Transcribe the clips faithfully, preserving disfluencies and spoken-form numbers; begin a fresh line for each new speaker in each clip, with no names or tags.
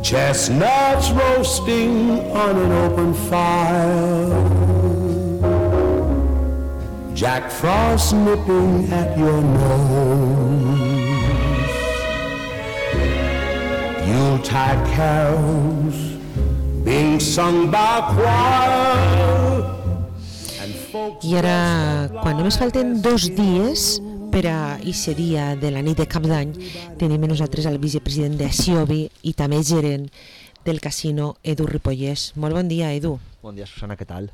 Chestnuts roasting on an open fire, Jack Frost nipping at your nose, Yuletide carols being sung by choir.
I ara, quan només falten dos dies per a aquest dia de la nit de Cap d'Any, tenim a nosaltres el vicepresident de Siobi i també gerent del casino, Edu Ripollès. Molt bon dia, Edu.
Bon dia, Susana, què tal?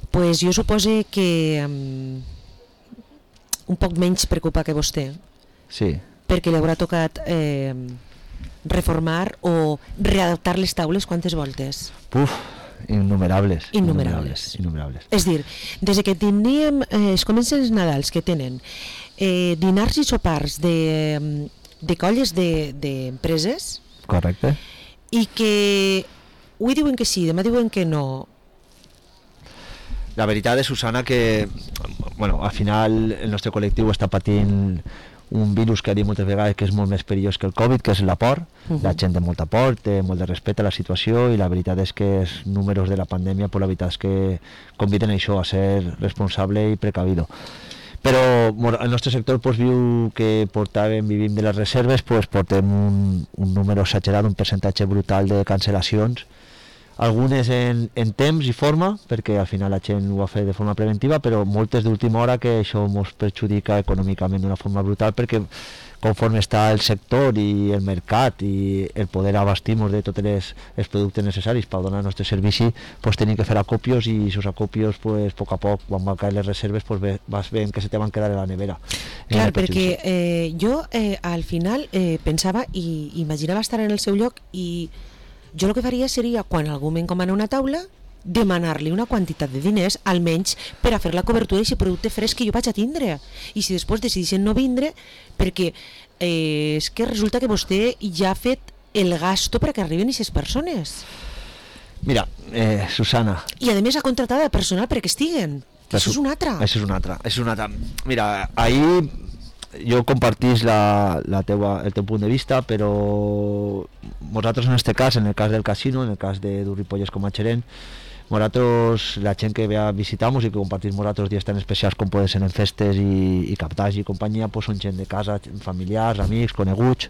Pues jo supose que um, un poc menys preocupa que vostè.
Sí.
Perquè li haurà tocat eh, reformar o readaptar les taules quantes voltes?
Puf, innumerables.
Innumerables.
Innumerables.
És dir, des que teníem, eh, es comencen els Nadals que tenen eh, dinars i sopars de, de colles d'empreses, de,
correcte,
i que avui diuen que sí, demà diuen que no.
La veritat és, Susana, que bueno, al final el nostre col·lectiu està patint un virus que ha dit moltes vegades que és molt més perillós que el Covid, que és la por. Uh-huh. La gent té molta por, té molt de respecte a la situació, i la veritat és que els números de la pandèmia, pues, la veritat és que conviden això a ser responsable i precavido. Però el nostre sector, pues, viu que portàvem, vivim de les reserves, pues, portem un, un número exagerat, un percentatge brutal de cancel·lacions, algunes en, en temps i forma, perquè al final la gent ho va fer de forma preventiva, però moltes d'última hora, que això ens perjudica econòmicament d'una forma brutal, perquè conforme està el sector i el mercat i el poder abastir-nos de tots els, els productes necessaris per donar el nostre servici, pues, tenim que fer acopios, i aquests acopios, pues, a poc a poc, quan van caure les reserves, pues, vas veient que se te van quedar a la nevera.
Clar, perquè eh, jo eh, al final eh, pensava i imaginava estar en el seu lloc, i jo el que faria seria, quan algú m'encomana una taula, demanar-li una quantitat de diners, almenys per a fer la cobertura d'aquest producte fresc que jo vaig a tindre. I si després decideixen no vindre, perquè eh, és que resulta que vostè ja ha fet el gasto perquè arriben aquestes persones.
Mira, eh, Susana...
I a més ha contratat el personal perquè estiguen. Això és un altre.
Això és un altre. És un altre. Mira, ahir jo compartís la, la teua, el teu punt de vista, però nosaltres en este cas, en el cas del casino, en el cas de Edu Ripollès com a gerent, nosaltres, la gent que ve a visitar-nos i que compartís nosaltres dies tan especials com poden ser en festes i, i captaix i companyia, pues, són gent de casa, familiars, amics, coneguts,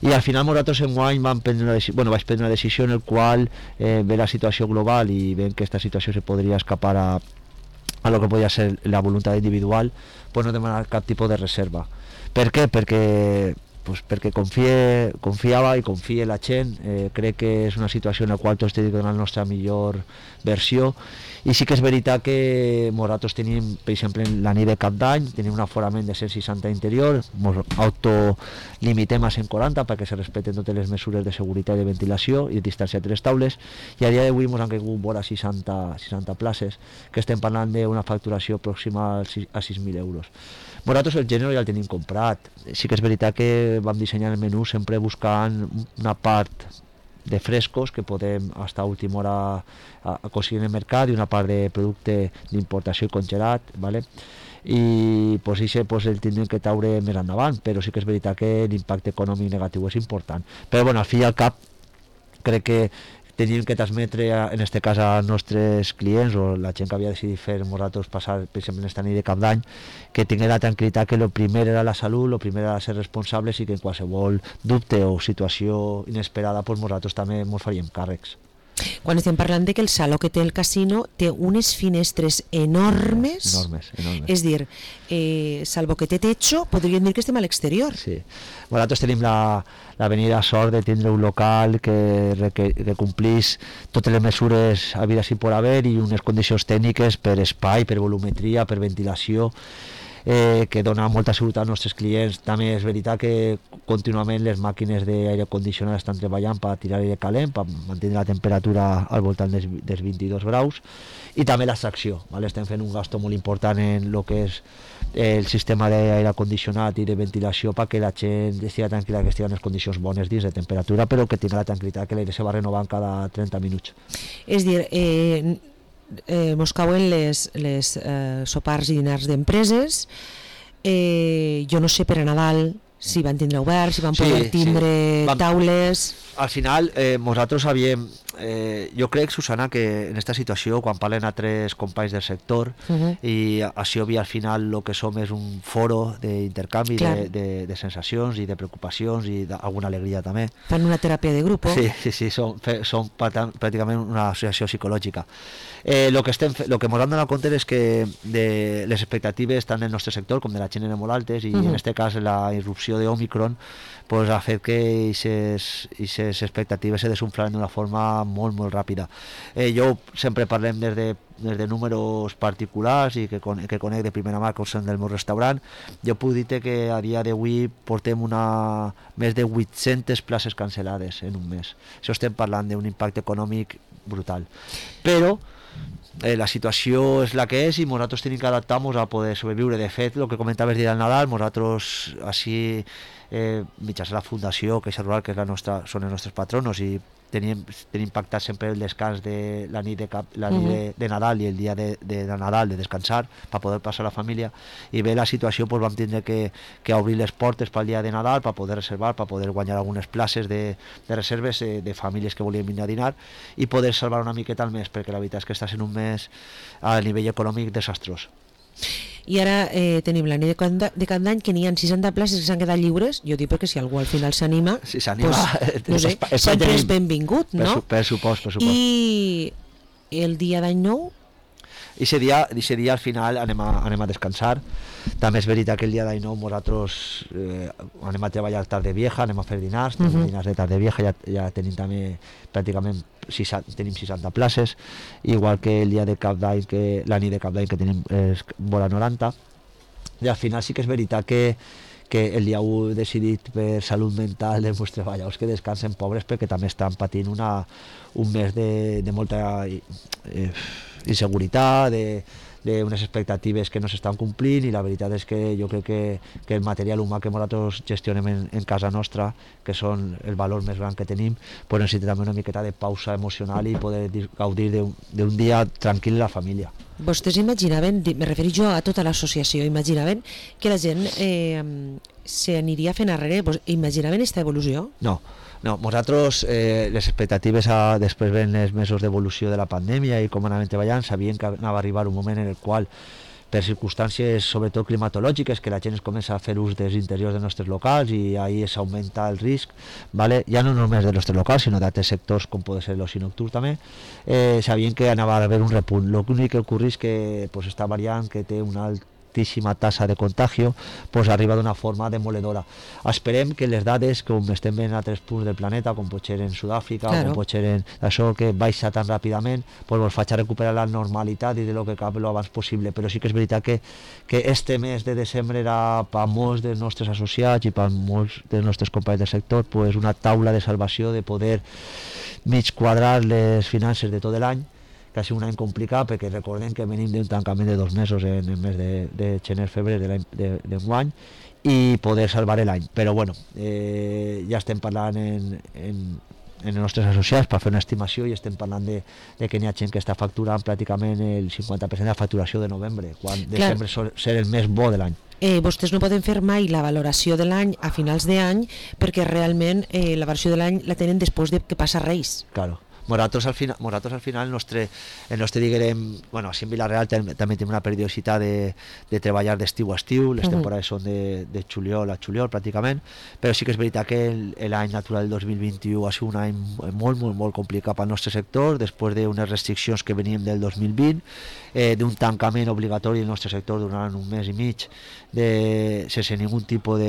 i al final nosaltres enguany vam prendre una decisió, bueno, vaig prendre una decisió en el qual eh, ve la situació global i veiem que aquesta situació se podria escapar a a lo que podia ser la voluntat individual, pues no demanar cap tipus de reserva. Per què? Perquè, pues perquè confie, confiava i confia la gent, eh, crec que és una situació en la qual tots tenim que donar la nostra millor versió, i sí que és veritat que nosaltres tenim, per exemple, la nit de Cap d'Any, tenim un aforament de cent seixanta interior, ens autolimitem a cent quaranta perquè se respecten totes les mesures de seguretat i de ventilació i de distància entre les taules, i a dia d'avui ens han caigut vora seixanta, seixanta places, que estem parlant d'una facturació pròxima a sis mil euros. Nosaltres el gènere ja el tenim comprat, sí que és veritat que vam dissenyar el menú sempre buscant una part de frescos que podem estar a última hora aconseguir en el mercat, i una part de producte d'importació i congelat, ¿vale? I pues, això pues, el tindrem que taure més endavant, però sí que és veritat que l'impacte econòmic negatiu és important. Però bueno, al fi i al cap crec que tenim que transmetre, en aquest cas, als nostres clients o la gent que havia decidit fer nosaltres passar, per exemple, en esta nit de Cap d'Any, que tingui la tranquil·litat que el primer era la salut, el primer era ser responsables, i que en qualsevol dubte o situació inesperada, pues, nosaltres també ens faríem càrrecs.
Quan estem parlant de que el saló que té el casino té unes finestres enormes,
enormes, enormes.
És dir, eh, salvo que té techo, podríem dir que estem a l'exterior.
Sí. Nosaltres tenim la, la venida sort de tindre un local que, que, que complís totes les mesures havides i por haver, i unes condicions tècniques per espai, per volumetria, per ventilació, eh, que dona molta seguretat als nostres clients. També és veritat que contínuament les màquines d'aire condicionat estan treballant per tirar aire calent, per mantenir la temperatura al voltant dels, dels vint-i-dos graus, i també l'extracció, ¿vale? Estem fent un gasto molt important en el que és el sistema d'aire condicionat i de ventilació perquè la gent estigui tranquil·la, que estigui en les condicions bones dins de temperatura, però que tingui la tranquil·litat que l'aire se va renovant cada trenta minuts.
És dir, eh, eh, mos cauen les, les eh, sopars i dinars d'empreses, eh, jo no sé per a Nadal si van tindre obert, si van
Sí,
poder
sí.
tindre
Vam-
taules...
Al final, eh, nosaltres havíem... Eh, jo crec, Susana, que en aquesta situació, quan parlen a tres companys del sector,
Uh -huh.
i així obvi al final el que som és un foro d'intercanvi
Clar.
de, de, de sensacions i de preocupacions i d'alguna alegria també.
Fan una teràpia de grup.
Sí, sí, sí, som, fe- som pràcta- pràcticament una associació psicològica. Eh, lo que estem fe- lo que ens hem donat compte és que de les expectatives tant del nostre sector com de la gent eren molt altes, i
Mhm.
en este cas la irrupció d'Omicron pues, ha fet que aquestes expectatives se desunflaren d'una forma molt, molt ràpida. Eh, jo sempre parlem des de, des de números particulars i que, con, que conec de primera mà, que són del meu restaurant. Jo puc dir que a dia d'avui portem una, més de vuit-centes places cancel·lades en un mes. Això estem parlant d'un impacte econòmic brutal. Però eh, la situació és la que és i nosaltres tenim que adaptar-nos a poder sobreviure. De fet, el que comentaves del Nadal, nosaltres així eh, mitjançant la Fundació Caixa Rural, que és la nostra, són els nostres patronos, i tenim, tenim pactat sempre el descans de la nit de, cap, la nit de, de Nadal i el dia de, de, de Nadal, de descansar, per poder passar la família. I bé, la situació pues, vam tindre que, que obrir les portes pel dia de Nadal per poder reservar, per poder guanyar algunes places de, de reserves eh, de famílies que volien venir a dinar i poder salvar una miqueta el mes, perquè la veritat és que està sent un mes a nivell econòmic desastrós.
I ara eh, tenim la nit de Cap d'Any, de Cap d'Any, que n'hi ha seixanta places que s'han quedat lliures. Jo dic perquè si algú al final s'anima,
Si s'anima,
pues, no sé,
espai
sempre
tenim.
és benvingut,
Per,
no?
su, per supost, per supost.
I el dia d'any nou,
I ese dia, ese dia al final anem a, anem a descansar. També és veritat que el dia d'any nou nosaltres eh, anem a treballar tarde vieja, anem a fer dinars, tenim
Mhm.
dinars de tarde vieja, ja, ja tenim també pràcticament seixanta, tenim seixanta places, igual que el dia de Cap d'Any, que la nit de Cap d'Any que tenim és vora noranta. I al final sí que és veritat que que el dia u he decidit per salut mental dels meus treballadors que descansen, pobres, perquè també estan patint una, un mes de, de molta eh, inseguretat, de, d'unes expectatives que no s'estan complint, i la veritat és que jo crec que, que el material humà que nosaltres gestionem en, en casa nostra, que són el valor més gran que tenim, pues necessita també una miqueta de pausa emocional i poder dir, gaudir d'un, d'un dia tranquil a la família.
vostès imaginaven, di- me refereixo jo a tota l'associació, imaginaven que la gent eh, s'aniria fent arrere, vos imaginaven aquesta evolució?
No, no, nosaltres eh, les expectatives a, després ven els mesos d'evolució de la pandèmia i com anàvem treballant, sabien que anava a arribar un moment en el qual, per circumstàncies sobretot climatològiques, que la gent es comença a fer ús dels interiors dels nostres locals i ahí s'augmenta el risc, ¿vale? Ja no només dels nostres locals, sinó d'altres sectors com pot ser l'oci nocturn també, eh, sabien que anava a haver un repunt. L'únic que ocorre és que pues, esta variant que té una altíssima tassa de contagio pues, arriba d'una forma demoledora. Esperem que les dades, com estem veient a altres punts del planeta, com pot ser en Sud-àfrica,
Claro.
com pot ser en això que baixa tan ràpidament, pues, ens faci recuperar la normalitat i de lo que cap lo abans possible. Però sí que és veritat que, que este mes de desembre era per molts dels nostres associats i per molts dels nostres companys del sector pues, una taula de salvació, de poder mig quadrar les finances de tot l'any, que ha sigut un any complicat perquè recordem que venim d'un tancament de dos mesos en el mes de, de gener-febrer d'enguany i poder salvar l'any. Però bueno, eh, ja estem parlant en, en, en els nostres associats per fer una estimació i estem parlant de, de que n'hi ha gent que està facturant pràcticament el cinquanta per cent de la facturació de novembre, quan
Clar.
desembre sol ser el més bo de l'any.
Eh, vostès no poden fer mai la valoració de l'any a finals d'any perquè realment eh, la valoració de l'any la tenen després de que passa Reis.
Claro. Nosaltres al final, nosaltres al final el nostre, el nostre diguem, bueno, així en Vila-real tam- també tenim una periodicitat de, de treballar d'estiu a estiu, les
Mhm.
temporades són de, de juliol a juliol pràcticament, però sí que és veritat que el- l'any natural del dos mil vint-i-u ha sigut un any molt, molt, molt complicat pel nostre sector, després d'unes restriccions que veníem del dos mil vint, eh, d'un tancament obligatori del nostre sector durant un mes i mig, de, sense ningun tipus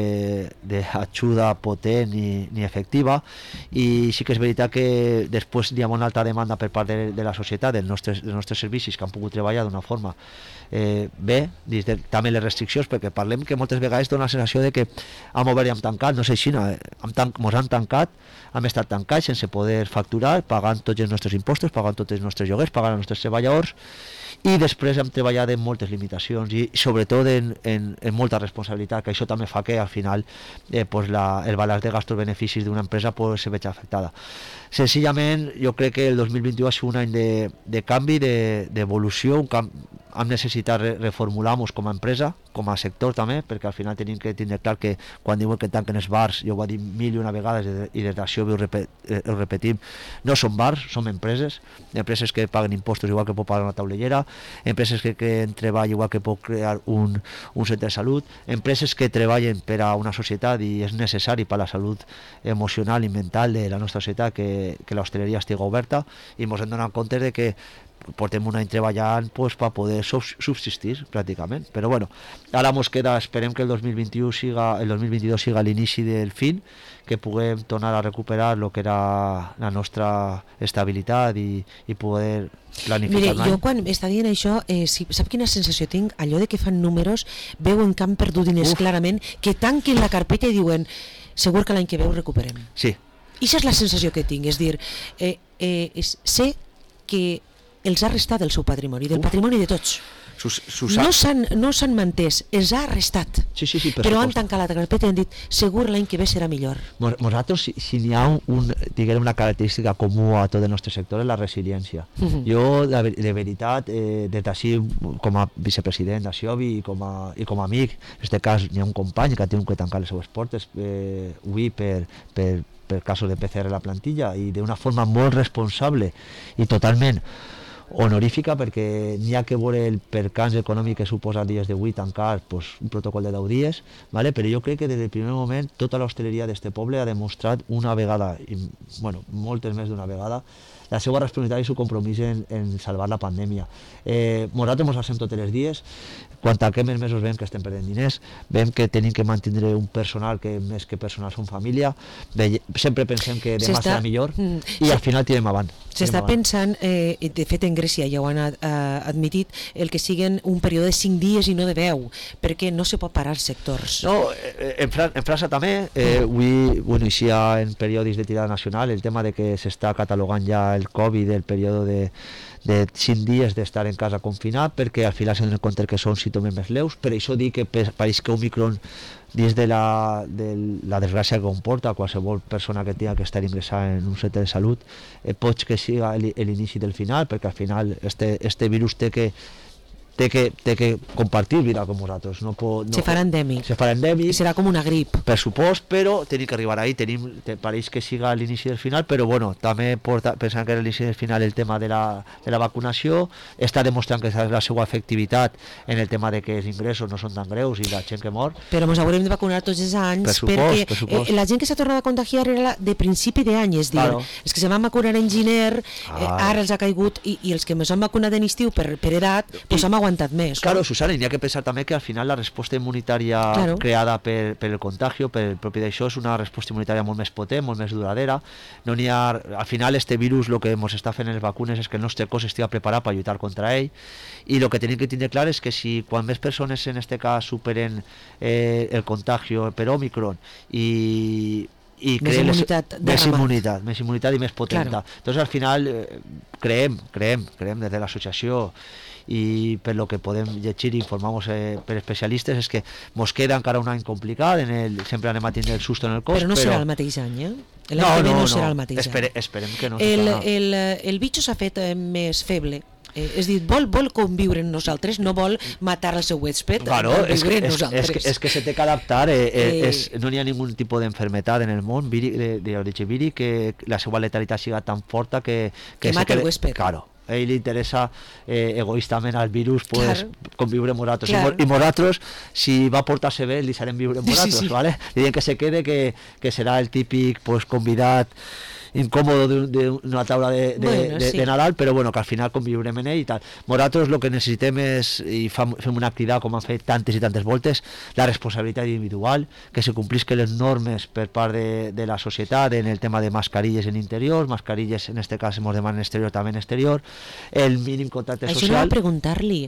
d'ajuda potent ni, ni efectiva, i sí que és veritat que després hi ha una alta demanda per part de, de la societat dels nostres, dels nostres servicis que han pogut treballar d'una forma eh, bé, dins de, també les restriccions, perquè parlem que moltes vegades dona la sensació de que hem obert i hem tancat, no sé si no, hem tan, mos han tancat, hem estat tancats sense poder facturar, pagant tots els nostres impostos, pagant tots els nostres lloguers, pagant els nostres treballadors, i després hem treballat en moltes limitacions i sobretot en, en, en molta responsabilitat, que això també fa que al final eh, pues la, el balanç de gastos-beneficis d'una empresa pues, se veig afectada. Senzillament jo crec que el dos mil vint-i-u ha sigut un any de, de canvi, d'evolució, de, un camp, hem necessitat re reformular-nos com a empresa, com a sector també, perquè al final tenim que tindre clar que quan diuen que tanquen els bars, jo ho he dit mil i una vegades i des d'això ho, repet, ho repetim, no són bars, són empreses, empreses que paguen impostos igual que pot pagar una taulellera, empreses que creen treball igual que pot crear un, un centre de salut, empreses que treballen per a una societat i és necessari per a la salut emocional i mental de la nostra societat que, que l'hostaleria estigui oberta, i ens hem donat compte de que portem un any treballant pues, per poder subsistir pràcticament, però bueno, ara mos queda, esperem que el dos mil vint-i-u siga, el dos mil vint-i-dos siga l'inici del fin, que puguem tornar a recuperar el que era la nostra estabilitat i, i poder planificar.
Mire, jo quan està dient això, eh, si, sap quina sensació tinc? Allò de que fan números, veuen que han perdut diners clarament, que tanquen la carpeta i diuen segur que l'any que ve ho recuperem.
Sí.
I això és la sensació que tinc, és dir, eh, eh, és, sé que els ha restat el seu patrimoni, del Uf. patrimoni de tots.
Sus, sus...
No s'han no s'han mantès, els ha restat.
Sí, sí, sí, per
però
supost.
Han tancat la carpeta i han dit segur l'any que ve serà millor.
Nosaltres, si, si n'hi ha un, diguem, una característica comú a tot el nostre sector és la resiliència. Uh -huh. Jo, de, de veritat, eh, des d'ací, com a vicepresident d'Axiobi i, com a, i com a amic, en aquest cas hi ha un company que ha tingut que tancar les seues portes eh, avui per, per, per casos de P C R a la plantilla, i d'una forma molt responsable i totalment honorífica, perquè n'hi ha que veure el percanç econòmic que suposa els dies d'avui tancar pues, un protocol de deu dies, ¿vale? Però jo crec que des del primer moment tota l'hostaleria d'este poble ha demostrat una vegada, i, bueno, moltes més d'una vegada, la seva responsabilitat i el seu compromís en, en salvar la pandèmia. Eh, nosaltres ens passem tots els dies, quan tanquem els mesos veiem que estem perdent diners, veiem que tenim que mantenir un personal que més que personal són família, ve, sempre pensem que demà serà millor i al final tirem avant.
S'està pensant, eh, de fet en Grècia ja ho han ad, uh, admitit, el que siguen un període de cinc dies i no de deu, perquè no se pot parar els sectors.
No, en, Fran en França també, eh, avui, bueno, així en periodis de tirada nacional, el tema de que s'està catalogant ja el Covid, el període de de cinc dies d'estar en casa confinat, perquè al final s'han de compte que són símptomes més leus. Per això dic que pareix que Omicron, dins de la, de la desgràcia que comporta qualsevol persona que tingui que estar ingressada en un centre de salut, eh, pot que siga l'inici del final, perquè al final este, este virus té que té que, té que compartir vida com nosaltres. No pot, no,
se farà endèmic.
Se farà endèmic.
I serà com una grip.
Per supost, però tenim que arribar ahí. Tenim, te, pareix que siga l'inici del final, però bueno, també porta, pensant que és l'inici del final el tema de la, de la vacunació, està demostrant que la seva efectivitat en el tema de que els ingressos no són tan greus i la gent que mor.
Però ens haurem de vacunar tots els anys,
per supost,
perquè
per supost.
Eh, la gent que s'ha tornat a contagiar era la de principi d'any, és dir, claro. Els que se van vacunar en gener, eh, ara els ha caigut, i, i els que ens han vacunat en estiu per, per edat, doncs hem aguantat més.
Claro, Susana, n'hi ha que pensar també que al final la resposta immunitària claro. creada per, per el contagio, per el propi d'això, és una resposta immunitària molt més potent, molt més duradera. No n'hi ha, al final este virus el que ens està fent en les vacunes és que el nostre cos estigui preparat per lluitar contra ell, i el que tenim que tindre clar és que si quan més persones en este cas superen eh, el contagio per Omicron i i
més immunitat,
les, més immunitat més immunitat i més potenta,
claro.
Entonces al final eh, creem, creem, creem des de l'associació i per lo que podem llegir i informar-nos eh, per especialistes és que mos queda encara un any complicat, en el, sempre anem a tindre el susto en el cos,
però no
però...
serà el mateix any, eh? L'any
no,
que ve
no,
no,
no
serà el mateix
Espere,
any.
Esperem que no.
El, el, el bitxo s'ha fet eh, més feble. Eh, és dir, vol, vol conviure amb nosaltres, no vol matar el seu huésped,
claro,
vol
és,
viure
que,
amb
és,
nosaltres.
És, que, és que se té que adaptar, eh, eh, és, no n'hi ha ningú tipus d'enfermetat en el món d'origen víric que la seva letalitat siga tan forta que...
Que, que mata el huésped.
Claro. A ell li interessa eh, egoístament al virus pues, claro. conviure amb nosaltres, claro. I nosaltres si va portar-se bé li serem viure amb nosaltres, sí, sí. ¿Vale? Li diem que se quede, que, que serà el típic pues, convidat incòmodo d'una taula de, de, bueno, de, sí. de Nadal, però bueno, que al final conviurem en ell i tal. Nosaltres el que necessitem és, i fam, fem una crida com han fet tantes i tantes voltes, la responsabilitat individual, que se complisquen les normes per part de, de la societat en el tema de mascarilles en interior, mascarilles en este cas ens demanen exterior, també en exterior, el mínim contacte
això
social.
Això no va preguntar-li,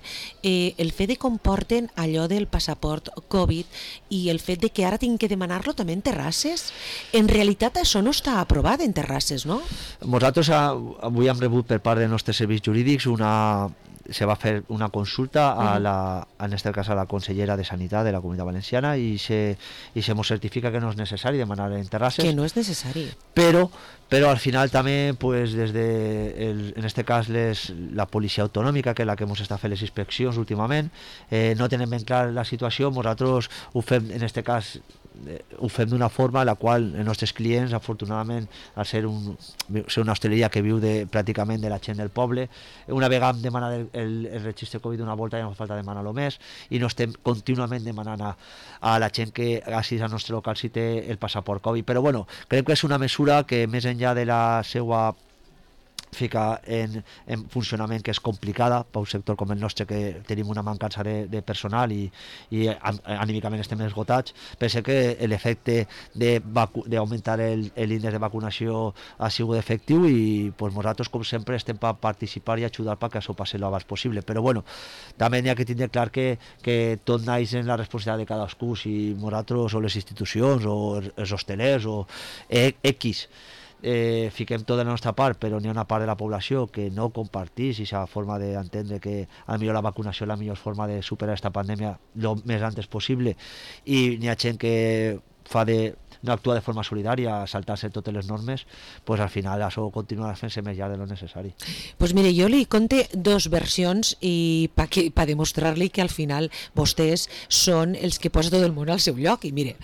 eh, el fet de comporten allò del passaport Covid i el fet de que ara tinc que demanar-lo també en terrasses, en realitat això no està aprovat en terrasses, no?
Nosaltres avui hem rebut per part dels nostres serveis jurídics una, se va a hacer una consulta a la, en este caso a la consellera de Sanidad de la Comunitat Valenciana y se y se nos certifica que no es necesario demanar enterrarse.
Que no es necesario.
Pero pero al final también pues desde el, en este caso les, la Policía Autonòmica, que es la que hemos estado fent les inspeccions últimament, eh, no tenen ben clar la situació. Nosaltres ho fem en este cas eh, ho fem d'una forma en la qual els nostres clients, afortunadament, al ser, un, ser una hostaleria que viu de, pràcticament de la gent del poble, una vegada hem demanat el, el, el registre Covid una volta, ja no fa falta demanar-lo més, i no estem contínuament demanant a, a la gent que assisteix al nostre local si té el passaport Covid. Però bueno, crec que és una mesura que més enllà de la seva fica en, en funcionament, que és complicada per un sector com el nostre, que tenim una mancança de, de personal i, i anímicament estem esgotats. Penso que l'efecte d'augmentar l'índex de vacunació ha sigut efectiu i pues, nosaltres, com sempre, estem per participar i ajudar perquè això passi l'abans possible. Però bueno, també n'hi ha que tindre clar que, que tot naix en la responsabilitat de cadascú, si nosaltres o les institucions o els hostelers o X Eh, fiquem tota la nostra part, però n'hi ha una part de la població que no compartís aquesta forma d'entendre que a millor la vacunació és la millor forma de superar aquesta pandèmia el més antes possible, i n'hi ha gent que fa de no actua de forma solidària, saltar-se totes les normes, pues al final això continuarà fent-se més llarg de lo necessari.
Pues mire, jo li conté dos versions i per pa demostrar-li que al final vostès són els que posa tot el món al seu lloc. I mire,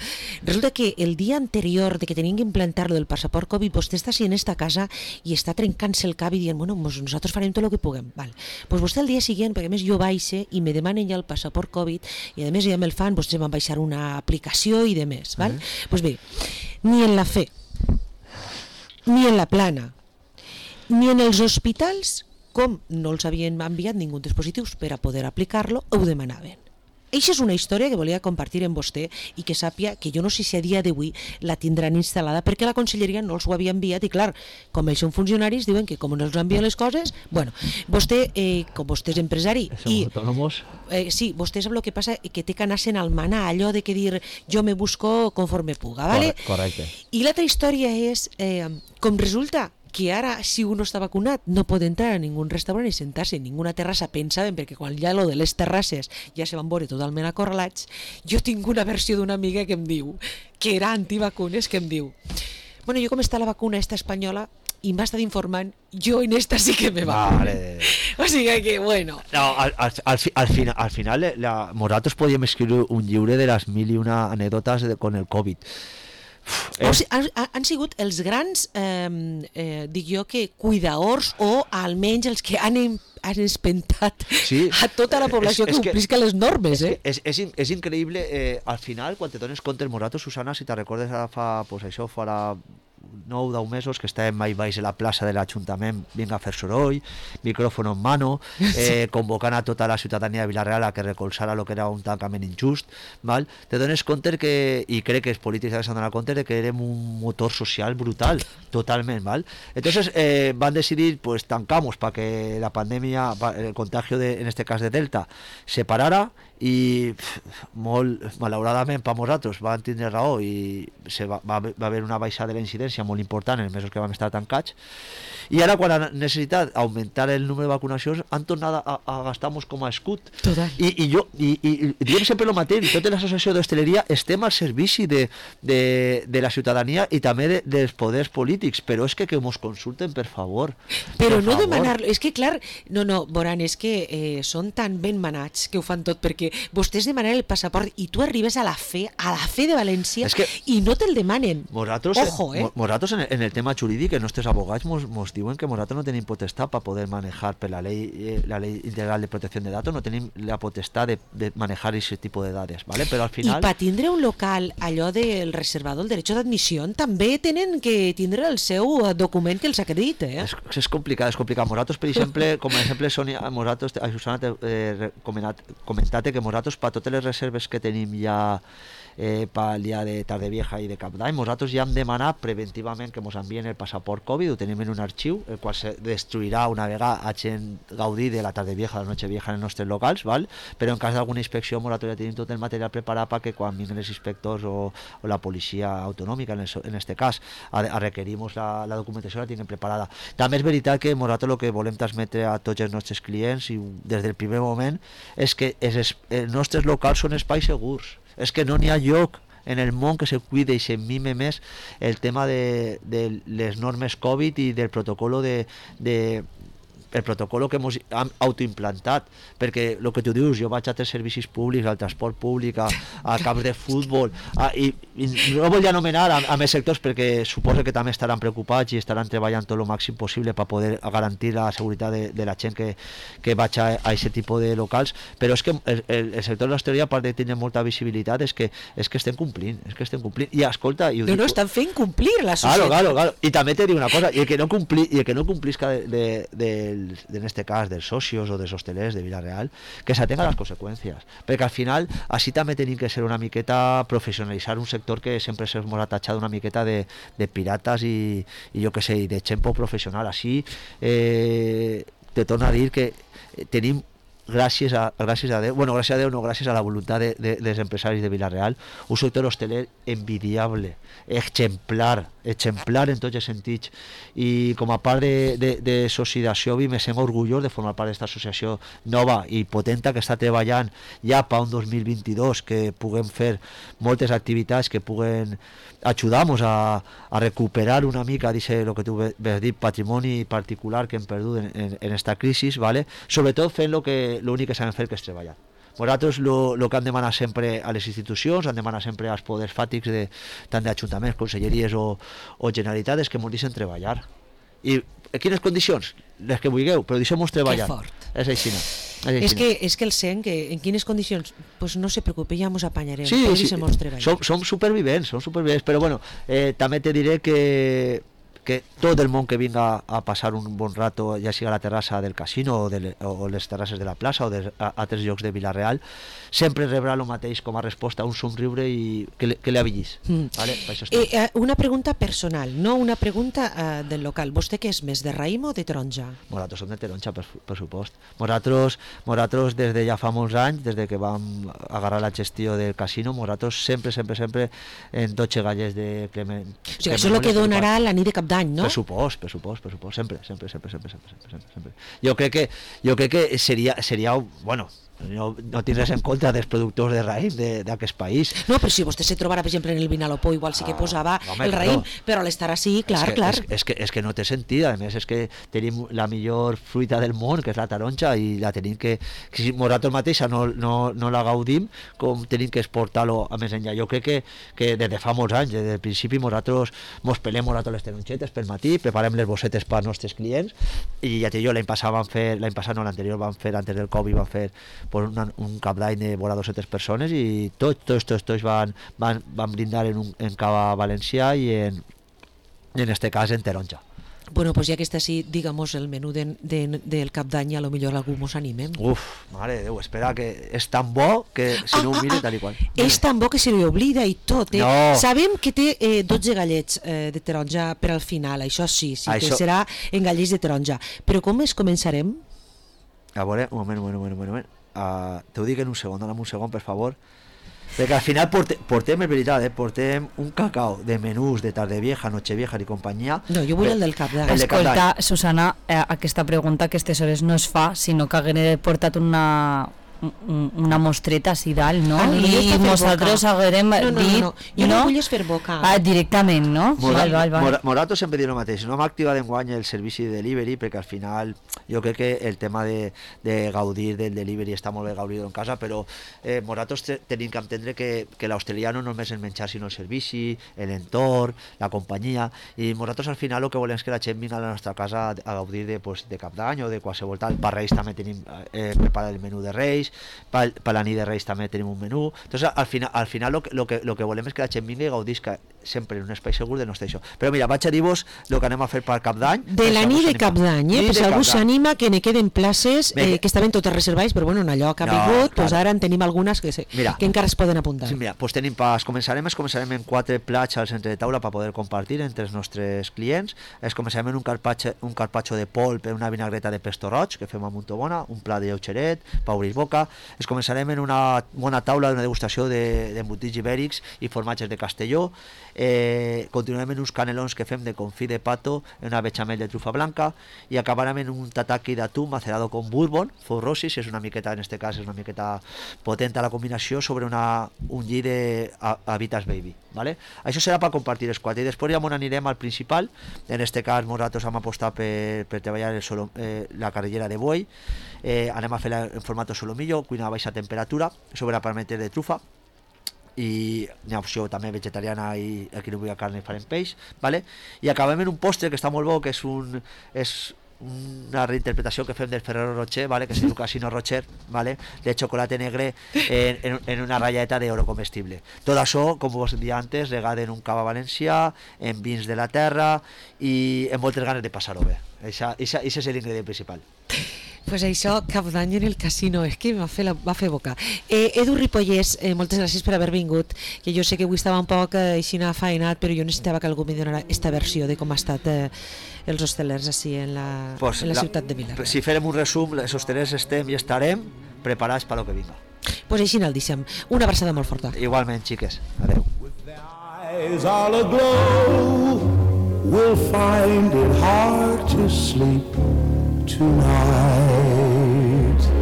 resulta que el dia anterior de que tenien que implantar-lo del passaport Covid, vostè està així en esta casa i està trencant-se el cap i dient, bueno, pues nosaltres farem tot el que puguem. Val. Pues vostè el dia següent, perquè a més jo baixe i me demanen ja el passaport Covid i a més ja me'l fan, vostès van baixar una aplicació i de més. Val? Uh-huh. Pues bé, ni en la fe, ni en la plana, ni en els hospitals, com no els havien enviat ningú dispositius per a poder aplicar-lo, ho demanaven. Eixa és una història que volia compartir amb vostè i que sàpia que jo no sé si a dia d'avui la tindran instal·lada perquè la conselleria no els ho havia enviat i clar, com ells són funcionaris diuen que com no els envien les coses, bueno, vostè, eh, com vostè és empresari i eh, sí, vostè sap el que passa, que té que anar-se'n al manar, allò de que dir jo me busco conforme puga, ¿vale?
Correcte.
I l'altra història és eh, com resulta que ara, si uno està vacunat, no pot entrar a ningú restaurant i sentar-se en ninguna terrassa, pensaven, perquè quan ja lo de les terrasses ja se van veure totalment acorralats. Jo tinc una versió d'una amiga que em diu, que era antivacunes, que em diu, bueno, jo com està la vacuna esta espanyola, i m'ha estat informant, jo en esta sí que me vacuno. Vale. O sigui que, bueno...
No, al, al, al, al, final, al final, la, nosaltres podíem escriure un llibre de les mil i una anècdotes de, con el Covid.
O sigui, han, han sigut els grans, eh, eh, dic jo, que cuidadors o almenys els que han, han espentat sí, a tota la població és, és que complisca les normes.
És,
eh?
és, és, és increïble, eh, al final, quan te dones compte, nosaltres, Susana, si te recordes fa, pues això, farà nou o deu mesos que estàvem mai baix a la plaça de l'Ajuntament, vinga a fer soroll, micròfon en mano, eh, convocant a tota la ciutadania de Vila-real a que recolzara el que era un tancament injust, val? Te dones compte que, i crec que els polítics s'han donat compte de que érem un motor social brutal, totalment, val? Entonces eh, van decidir, pues tancamos para que la pandèmia, el contagio de, en este cas de Delta, se parara i molt malauradament per nosaltres van tindre raó i se va, va, va haver una baixada de la incidència molt important en els mesos que vam estar tancats, i ara quan han necessitat augmentar el número de vacunacions han tornat a, a gastar-nos com a escut. I, i jo i, i, i diem sempre el mateix, tota l'associació d'hostaleria estem al servici de, de, de la ciutadania i també de, dels poders polítics, però és que que ens consulten, per favor.
Però
per
no
favor.
demanar-lo, és que clar, no, no, Boran, és que eh, són tan ben manats que ho fan tot, perquè vostès demanen el passaport i tu arribes a la fe, a la fe de València que i no te'l demanen.
Nosaltres,
Ojo, eh?
Nosaltres en, en el tema jurídic, els nostres abogats mos, mos diuen que nosaltres no tenim potestat per poder manejar per la ley, eh, la ley integral de protecció de datos, no tenim la potestat de, de manejar aquest tipus de dades, ¿vale? Però al final...
I per tindre un local, allò del reservado, el derecho d'admissió, també tenen que tindre el seu document que els acredita, eh?
És, és complicat, és complicat. Nosaltres, per exemple, com a exemple, Sònia, nosaltres, a Susana, eh, comentat, comentat que nosaltres, per totes les reserves que tenim ja eh, pel dia de Tardevieja i de Cap d'Any, nosaltres ja hem demanat preventivament efectivament que ens envien el passaport Covid, ho tenim en un arxiu, el qual se destruirà una vegada hagin gaudit de la tarde vieja, la noche vieja en els nostres locals, val? Però en cas d'alguna inspecció nosaltres ja tenim tot el material preparat perquè quan vinguin els inspectors o, o la policia autonòmica, en, el, en este cas, a, a requerir-nos la, la documentació la tinguem preparada. També és veritat que nosaltres el que volem transmetre a tots els nostres clients i des del primer moment és que els, els nostres locals són espais segurs, és que no n'hi ha lloc en el món que se cuide i se mime més el tema de, de les normes Covid i del protocolo de, de el protocolo que hemos autoimplantat, perquè el que tu dius, jo vaig a tres servicis públics, al transport públic, a, a camps de futbol, a, i, i no volia anomenar a, a més sectors perquè suposo que també estaran preocupats i estaran treballant tot el màxim possible per poder garantir la seguretat de, de la gent que, que vaig a aquest tipus de locals, però és que el, el, el sector de l'hostaleria, a part de tenir molta visibilitat, és que, és que estem complint, és que estem complint, i escolta... I ho
no,
dic,
no, estan fent complir la societat.
Claro, claro, claro, i també te dic una cosa, i el que no, compli, i el que no complisca de, de, de en este cas dels socios o dels hostelers de Vila-real, que s'atenga a les conseqüències, perquè al final així també tenim que ser una miqueta professionalitzar un sector que sempre s'ha atachat una miqueta de, de pirates i, i jo que sé, de gent poc professional. Així eh, te torno a dir que tenim gràcies a, gràcies a Déu, bueno, gràcies a Déu no, gràcies a la voluntat de, de, dels empresaris de Vila-real, un sector hosteler envidiable, exemplar, exemplar en tots els sentits, i com a part de, de, de Societat me sent orgullós de formar part d'aquesta associació nova i potenta que està treballant ja per un dos mil vint-i-dos, que puguem fer moltes activitats que puguen ajudar-nos a, a recuperar una mica, dice el que tu vas dir, patrimoni particular que hem perdut en, en, en esta crisi, ¿vale? Sobretot fent lo que l'únic que sabem fer, que és treballar. Nosaltres el que hem demanat sempre a les institucions, hem demanat sempre als poders fàtics de, tant d'ajuntaments, conselleries o, o generalitat, és que ens deixen treballar. I en quines condicions? Les que vulgueu, però deixem-nos treballar.
Que fort.
És així. És,
és, que, és que el sent que en quines condicions, pues no se preocupe, ja ens apanyarem,
sí,
però
sí,
deixem-nos treballar.
Som, som supervivents, som supervivents, però bueno, eh, també te diré que que tot el món que vinga a passar un bon rato, ja sigui a la terrassa del casino o, de, o les terrasses de la plaça o de a, altres llocs de Vila-real, sempre rebrà el mateix com a resposta, un somriure i que, le, que li avillis. Mm. Vale?
Eh, una pregunta personal, no una pregunta eh, del local. Vostè què és més, de raïm o de taronja?
Nosaltres som de taronja, per, per supost. Nosaltres, nosaltres des de ja fa molts anys, des de que vam agarrar la gestió del casino, nosaltres sempre, sempre, sempre en dotze galles de Clement.
O sigui, això és el que donarà la nit de cap d'any, no?
Per supost, per supost, per supost, sempre, sempre, sempre, sempre, sempre, sempre, sempre. Jo crec que, jo crec que seria, seria, bueno, no, no tindràs en compte dels productors de raïm d'aquest país.
No, però si vostè se trobara, per exemple, en el Vinalopó, igual sí que posava ah, home, el raïm, no. Però a l'estar així, clar,
és que,
clar.
És, és, que, és que no té sentit, a més és que tenim la millor fruita del món, que és la taronja, i la tenim que, que si nosaltres mateixa no, no, no la gaudim, com tenim que exportar-lo a més enllà. Jo crec que, que des de fa molts anys, des del principi, nosaltres mos pelem nosaltres les taronxetes pel matí, preparem les bossetes per als nostres clients, i ja te dic, l'any passat vam fer, l'any passat no, l'anterior vam fer, antes del Covid vam fer pues, una, un cap d'any de vora dues-centes persones i tots, tots, tots, tots van, van, van brindar en, un, en cava valencià i en, i en este cas en taronja.
Bueno, pues ja que està així, digamos, el menú de, de, del cap d'any, a lo millor algú mos animem.
Uf, mare de Déu, espera, que és tan bo que si ah, no ho mire tal i qual.
És tan bo que se li oblida i tot, eh?
No.
Sabem que té eh, dotze gallets eh, de taronja per al final, això sí, sí això... que serà en gallets de taronja. Però com es començarem?
A veure, un moment, un moment, un moment, un moment. Uh, te ho dic en un segon, dona'm un segon, per favor, perquè al final porte, portem, és veritat, eh, portem un cacau de menús de Tardevieja, Nochevieja i companyia.
No, jo vull el del cap d'any.
Escolta, Susana, eh, aquesta pregunta a aquestes hores no es fa, sinó que hagué portat una una mostreta així dalt, no?
Ah, no
i nosaltres haguérem
no, no,
dit...
No, no, jo no, no vull fer boca.
Ah, directament, no?
Morat,
val, val, val.
Morat, Morato sempre diu el mateix, no hem activat enguany el servici de delivery perquè al final jo crec que el tema de, de gaudir del delivery està molt bé gaudir en casa, però eh, Moratos tenim que entendre que, que l'hostaleria no només el menjar sinó el servici, l'entorn, la companyia, i Moratos al final el que volem és que la gent vingui a la nostra casa a gaudir de, pues, de cap d'any o de qualsevol tal. Per Reis també tenim eh, preparat el menú de Reis, per, per la nit de Reis també tenim un menú. Entonces al final, al final lo, que, lo, que, lo que volem és que la gent vingui i gaudisca sempre en un espai segur de no estar això. Però mira, vaig a dir-vos el que anem a fer per Cap d'Any.
De la nit de Cap d'Any, eh? Per si algú s'anima, que ne queden places eh, que estaven totes reservades, però bueno, en allò que ha
No,
vingut,
clar.
pues ara en tenim algunes que, se,
Mira.
que encara es poden apuntar.
Sí, mira, pues tenim pas, començarem, es començarem en quatre plats al centre de taula per poder compartir entre els nostres clients. Es començarem en un carpaccio, un carpaccio de polp, una vinagreta de pesto roig, que fem a Montobona, un plat de lleugeret, per obrir boca. Es començarem en una bona taula d'una degustació d'embotits de, ibèrics i formatges de Castelló. Eh, continuarem en uns canelons que fem de confit de pato en una bechamel de trufa blanca i acabarem en un tataki d'atún macerado con bourbon, four roses, és una miqueta, en este cas és una miqueta potent a la combinació sobre una, un lli de Habitas Baby, ¿vale? Això serà per compartir els quatre i després ja m'on anirem al principal. En este cas nosaltres hem apostat per, per treballar el solo, eh, la carrillera de buey, eh, anem a fer-la en format solomillo, cuina a baixa temperatura sobre parmenter de trufa, i hi ha opció també vegetariana i aquí no vull carn i farem peix, vale? I acabem en un postre que està molt bo, que és un és una reinterpretació que fem del Ferrero Rocher, vale? Que es diu Casino Rocher, vale? De chocolate negre en, en, en una ratlleta d'oro comestible. Tot això, com vos dia antes, regat en un cava valencià, en vins de la terra i en moltes ganes de passar-ho bé. Això és l'ingredient principal.
Pues això, Cap d'Any en el casino, és que va fer, la, va fer boca. Eh, Edu Ripollès, eh, moltes gràcies per haver vingut, que jo sé que avui estava un poc eh, així faenat, però jo necessitava que algú me donara esta versió de com ha estat eh, els hostelers així en la,
pues
en la,
la
ciutat de Vilanova.
Si farem un resum, els hostelers estem i estarem preparats per lo que vinga.
Pues així el deixem. Una abraçada molt forta.
Igualment, xiques. Adeu.
Eyes all aglow, we'll find it hard to sleep tonight.